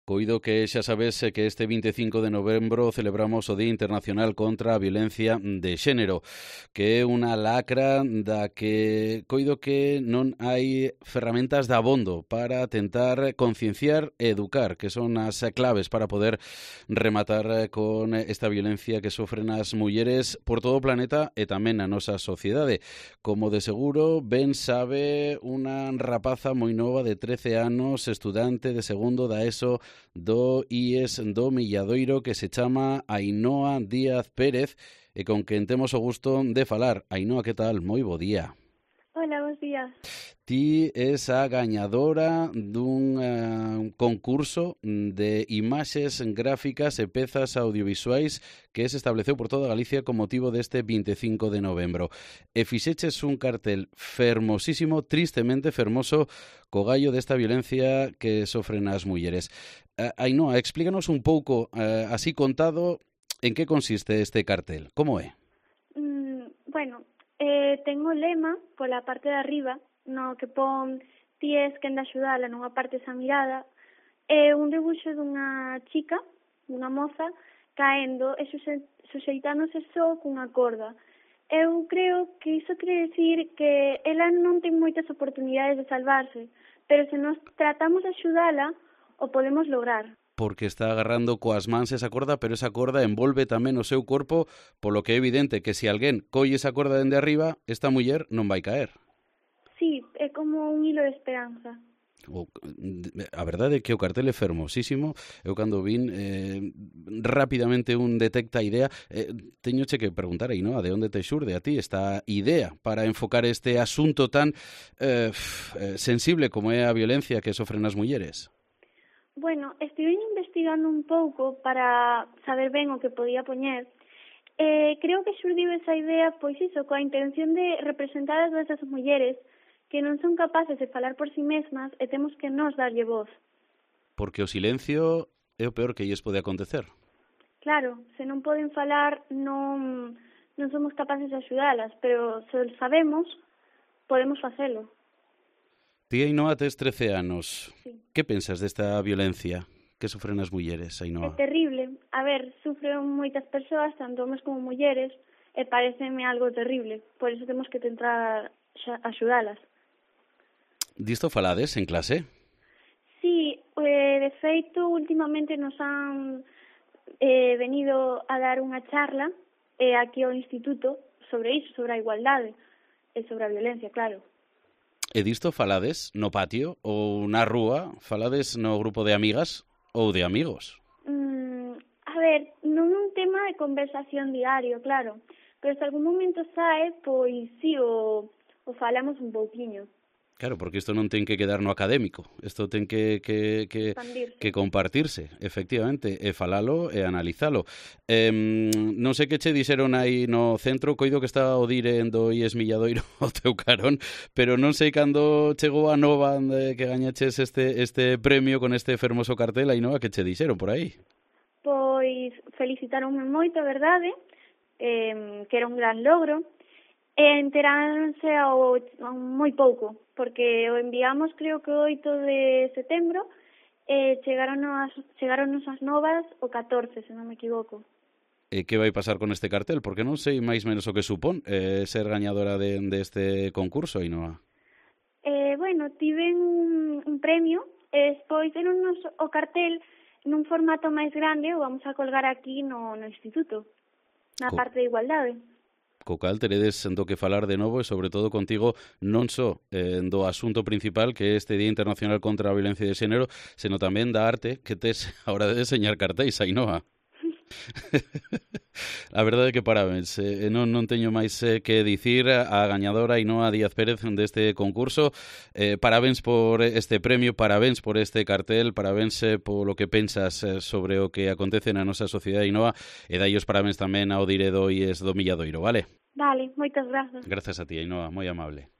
Coido que xa sabes que este 25 de novembro celebramos o Día Internacional contra a Violencia de Xénero, que é unha lacra da que coido que non hai ferramentas de abondo para tentar concienciar e educar, que son as claves para poder rematar con esta violencia que sofren as mulleres por todo o planeta e tamén na nosa sociedade. Como de seguro ben sabe unha rapaza moi nova de 13 anos, estudante de segundo da ESO do IES do Milladoiro, que se chama Ainhoa Díaz Pérez e con quen temos o gusto de falar. Ainhoa, que tal? Moi bo día. Hola, bons días. Ti és a gañadora dun concurso de imaxes gráficas e pezas audiovisuais que se estableceu por toda Galicia con motivo deste 25 de novembro. E fixeches un cartel fermosísimo, tristemente fermoso, co gallo desta violencia que sofren as mulleres. Ainhoa, explícanos un pouco, así contado, en que consiste este cartel. Como é? Ten o lema pola parte de arriba, no que pon ti es quen de axudala nunha parte esa mirada, é un debuxo dunha chica, dunha moza, caendo e suxeitándose só cunha corda. Eu creo que iso quere decir que ela non ten moitas oportunidades de salvarse, pero se nos tratamos de axudala, o podemos lograr. Porque está agarrando coas mans esa corda, pero esa corda envolve tamén o seu corpo, polo que é evidente que se alguén colle esa corda dende arriba, esta muller non vai caer. Sí, é como un hilo de esperanza. A verdade é que o cartel é fermosísimo. Eu cando vin rapidamente un detecta a idea. Teñoche que preguntar aí, non? De onde te xurde a ti esta idea para enfocar este asunto tan sensible como é a violencia que sofren as mulleres? Bueno, estive investigando un pouco para saber ben o que podía poñer. Creo que xurdiu esa idea, pois iso, coa intención de representar a todas as mulleres que non son capaces de falar por si mesmas e temos que nos darlle voz. Porque o silencio é o peor que lles pode acontecer. Claro, se non poden falar non somos capaces de axudalas, pero se o sabemos, podemos facelo. Ti, Ainhoa, tes 13 anos. Sí. Que pensas desta violencia que sofren as mulleres, Ainhoa? É terrible. A ver, sufren moitas persoas, tanto homes como mulleres, e pareceme algo terrible. Por iso temos que tentar axudalas. Disto falades en clase? Sí, de feito, últimamente nos han venido a dar unha charla aquí ao instituto sobre iso, sobre a igualdade e sobre a violencia, claro. E disto falades no patio ou na rúa? Falades no grupo de amigas ou de amigos? A ver, non é un tema de conversación diario, claro, pero se algún momento sae, pois sí, o falamos un pouquiño. Claro, porque isto non ten que quedar no académico, isto ten que compartirse, efectivamente, e falalo e analizalo. Non sei que che dixeron aí no centro, coido que está o dire do IES Milladoiro ao teu carón, pero non sei cando chegou a nova que gañaches este premio con este fermoso cartel, aí nova que che dixeron por aí. Pois felicitaronme moito, a verdade, que era un gran logro, e enteráronse ao moi pouco, porque o enviamos creo que o 8 de setembro e chegaron as novas o 14, se non me equivoco. E que vai pasar con este cartel? Porque non sei máis menos o que supón ser gañadora deste concurso, Ainhoa. Bueno, tiven un premio e despois deronnos o cartel nun formato máis grande, o vamos a colgar aquí no instituto, na parte de igualdade. Co cal teredes do que falar de novo e sobre todo contigo non só do asunto principal que é este Día Internacional contra a Violencia de Xénero, senón tamén da arte que tes a hora de deseñar cartéis, Ainhoa. A verdade é que parabéns, non teño máis que dicir a gañadora Ainhoa Díaz Pérez deste concurso. Parabéns por este premio, parabéns por este cartel, parabéns polo que pensas sobre o que acontece na nosa sociedade, Ainhoa, e dai os parabéns tamén ao dire do IES do Milladoiro, vale? Vale, moitas grazas. Grazas a ti, Ainhoa, moi amable.